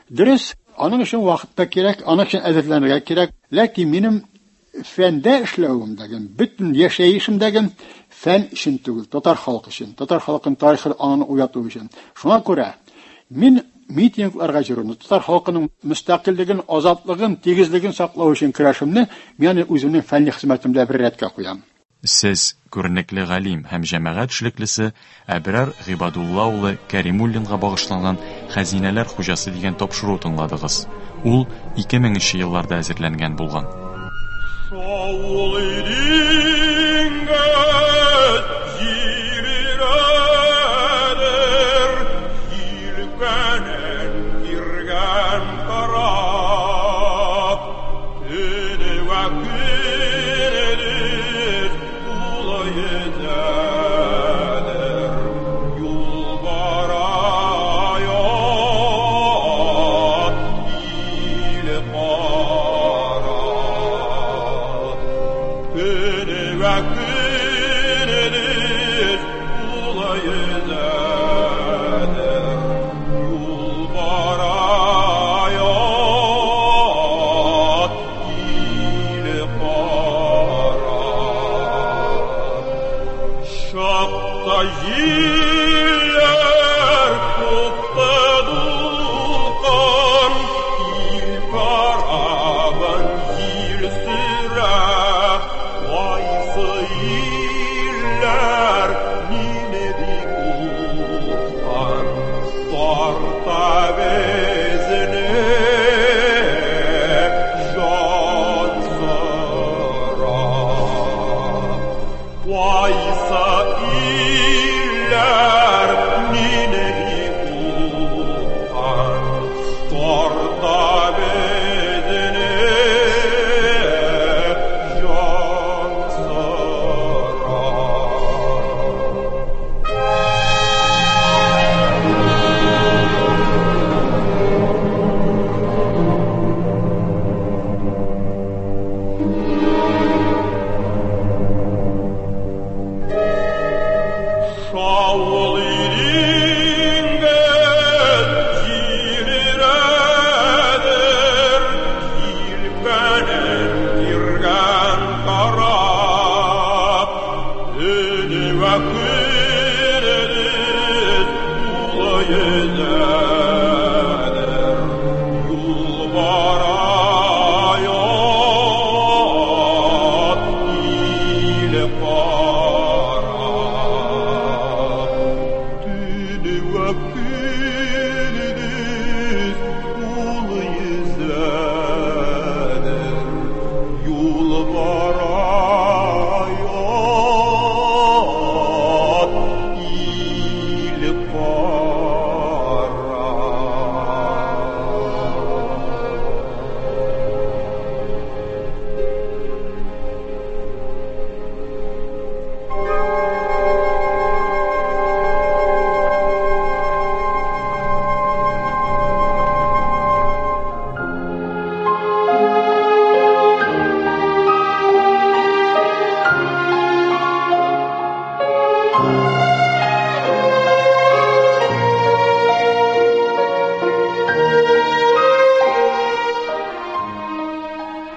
Дөрес, аның өчен вакыт та кирәк, аның өчен әзерләнергә кирәк. Ләкин минем фәндә эшләвемдәге, бөтен яшәешемдәге фән өчен түгел, татар халкы өчен, татар халкының тарихы аңын уяту өчен. Шуңа күрә мин митингларга йөрүне, татар халкының мөстәкыйльлеген, азатлыгын, тигезлеген саклау өчен көрәшемне мин үземнең фәнни хезмәтемдә бер рәткә куям. Сез күренекле галим һәм җәмәгать эшлеклесе Әбрар Гыйбадулла улы Кәримуллинга багышланган Хәзинәләр хуҗасы дигән тапшыру тыңладыгыз. Ул ике меңенче елларда әзерләнгән булган.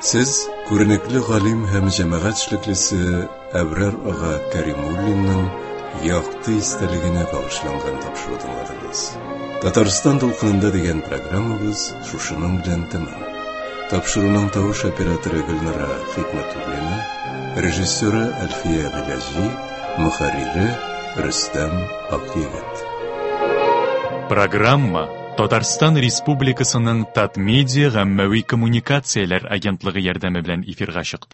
Сез күренекле галим һәм җәмәгать эшлеклесе Әбрар ага Кәримуллинның якты истәлегенә багышланган тапшыру тыңладыгыз. Татарстан дулкынында дигән программабыз шушының белән тәмам. Тапшыруның тавыш операторы Гөлнара Хикмәтуллина, режиссеры Әлфия Гыйләҗи, мөхәррире Рөстәм Акъегет. Программа Татарстан Республикасының Татмедиа гаммәви коммуникацияләр агентлыгы ярдәме белән эфирга чыкты.